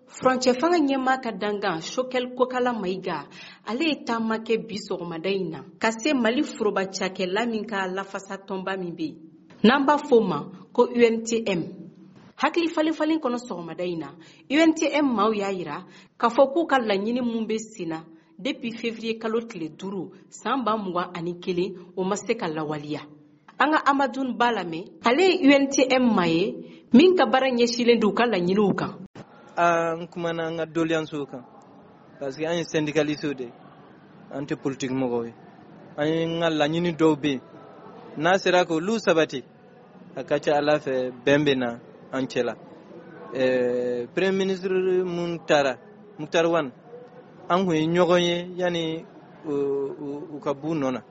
Furancɛ fanga ɲɛmaa ka dangan Choguel Kokalla Maïga, ale ye taama kɛ bi sɔgɔmada in na ka se Mali foroba cakɛla min ka lafasa tɔnba min bɛ yen n'an b'a fɔ o ma ko UNTM. Hakili falen falen kɔnɔ sɔgɔmada in na, UNTM maaw y'a yira k'a fɔ k'u ka laɲini mun bɛ sen na depuis février kalo tile 5 san 2021, o ma se ka lawaleya. An ka Amadou Ba lamɛn, ale ye UNTM maa ye min ka baara ɲɛsinnen don u ka laɲiniw kan. An kumana an ka doléancew kan parce que an ye syndicaliste de ye, an tɛ politique mɔgɔw ye. An ye ka laɲini dɔw bɛ yen, n'a sera k'olu sabati, a ka ca ala fɛ bɛn bɛ na an cɛ la. Premier ministre mun taara, Moctar Ouane, an kun ye ɲɔgɔn ye yanni u ka b'u nɔ na.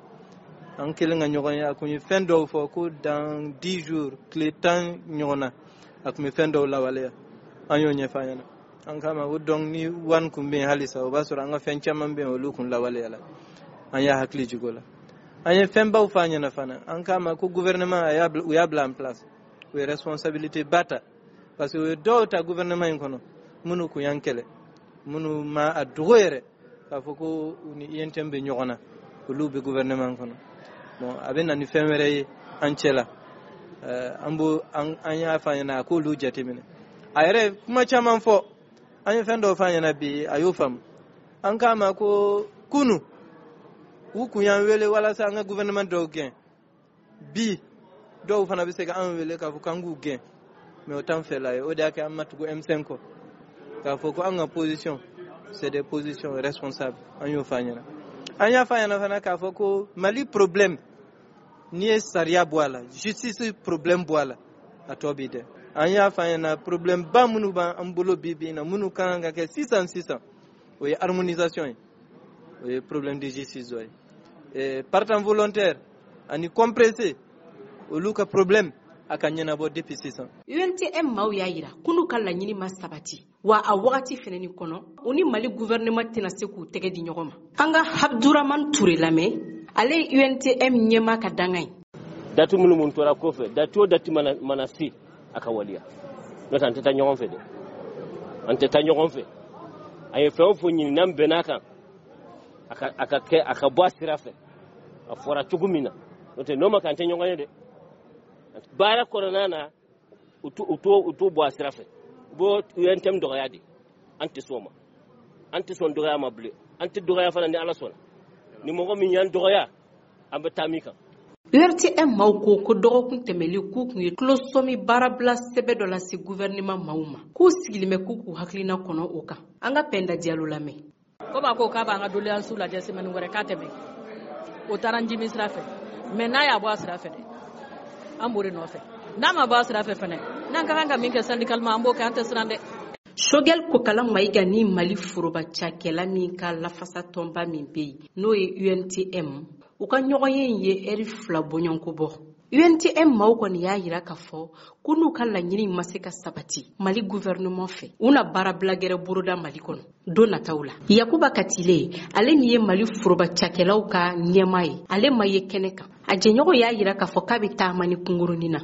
An kelen ka ɲɔgɔn ye, a kun ye fɛn dɔw fɔ ko dans 10 jours, tile 10 ɲɔgɔn na, a kun bɛ fɛn dɔw lawaleya. An y'o ɲɛfɔ a ɲɛna. An k'a ma ko donc ni Ouane kun bɛ yen halisa, o b'a sɔrɔ an ka fɛn caman bɛ yen, olu kun lawaleya la. An y'a hakili jigin o la. An ye fɛnbaw fɔ a ɲɛna fana. An k'a ma ko gouvernement a y'a u y'a bila en place, u ye responsabilité ba ta parce que u ye dɔw ta gouvernement in kɔnɔ minnu kun y'an kɛlɛ, minnu ma a dogo yɛrɛ k'a fɔ ko u ni UNTM bɛ ɲɔgɔn na, olu bɛ gouvernement kɔnɔ. Bon, a bɛ na ni fɛn wɛrɛ ye an cɛ la. An b'o an y'a fɔ a ɲɛna a k'olu jateminɛ. A yɛrɛ ye kuma caman fɔ, an ye fɛn dɔw fɔ a ɲɛna bi, a y'o faamu. An k'a ma ko kunu u kun y'an wele walasa an ka gouvernement dɔw gɛn, bi dɔw fana bɛ se ka an wele k'a fɔ k'an k'u gɛn, mais o t'an fɛla ye. O de y'a kɛ an ma tugu M5 kɔ k'a fɔ ko an ka position, c'est des positions responsables. An y'o fɔ a ɲɛna. An y'a fɔ a ɲɛna fana k'a fɔ ko Mali problème, n'i ye sariya bɔ a la, justice problème bɔ a la, a tɔ b'i dɛ. An y'a fɔ a ɲɛna problème ba minnu b'an bolo bi bi in na, minnu ka kan ka kɛ sisan sisan, o ye harmonisation ye, o ye problème de justice dɔ ye, partant volontaire ani compressé, olu ka problème a ka ɲɛnabɔ depuis sisan. UNTM maaw y'a yira k'u ka laɲini ma sabati wa a wagati fɛnɛni kɔnɔ, u ni Mali gouvernement tɛna se k'u tɛgɛ di ɲɔgɔn ma. An ka Abdourahmane Touré lamɛn, ale ye UNTM ɲɛmaa ka danga ye. Date minnu mun tora kɔfɛ, date o date mana se, a ka waleya, n'o tɛ an tɛ taa ɲɔgɔn fɛ dɛ, an tɛ taa ɲɔgɔn fɛ. A ye fɛn o fɛn ɲini n'an bɛnn'a kan, a ka kɛ, a ka bɔ a sira fɛ a fɔra cogo min na, n'o tɛ n'o ma kɛ, an tɛ ɲɔgɔn ye dɛ. Baara kɔnɔna na, u t'o bɔ a sira fɛ, u b'o UNTM dɔgɔya de. An tɛ sɔn o ma, an tɛ sɔn dɔgɔya ma bilen, an tɛ dɔgɔya fana. Ni Ala sɔnna, ni mɔgɔ min y'an dɔgɔya, an bɛ taa min kan. URTM maaw ko ko dɔgɔkun tɛmɛlen, k'u kun ye tulosɔmi baarabila sɛbɛ dɔ lase gouvernement maaw ma, k'u sigilen bɛ k'u k'u hakilina kɔnɔ o kan. An ka Pɛnda Jalo lamɛn. Komi a ko k'a b'an ka doléance lajɛ semaine wɛrɛ k'a tɛmɛ, o taara n jimi sira fɛ, mais n'a y'a bɔ a sira fɛ dɛ, an b'o de nɔfɛ. N'a ma bɔ a sira fɛ fɛnɛ, n'an ka kan ka min kɛ syndicalement, an b'o kɛ, an tɛ siran dɛ. Choguel Kokalla Maïga ni Mali foroba cakɛla min ka lafasa tɔnba min bɛ yen, n'o ye UNTM, u ka ɲɔgɔnye in ye ɛri 2 bɔɲɔgɔnko bɔ. UNTM maaw kɔni y'a yira k'a fɔ ko n'u ka laɲini ma se ka sabati Mali gouvernement fɛ, u na baarabila gɛrɛ boroda Mali kɔnɔ don nataw la. Yakuba Katile, ale min ye Mali foroba cakɛlaw ka ɲɛmaa ye, ale ma ye kɛnɛ kan. A jɛɲɔgɔn y'a yira k'a fɔ k'a bɛ taama ni kunkurunin na.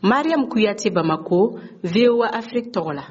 Mariam Kuyate, Bamako, VOA Afrique tɔgɔ la.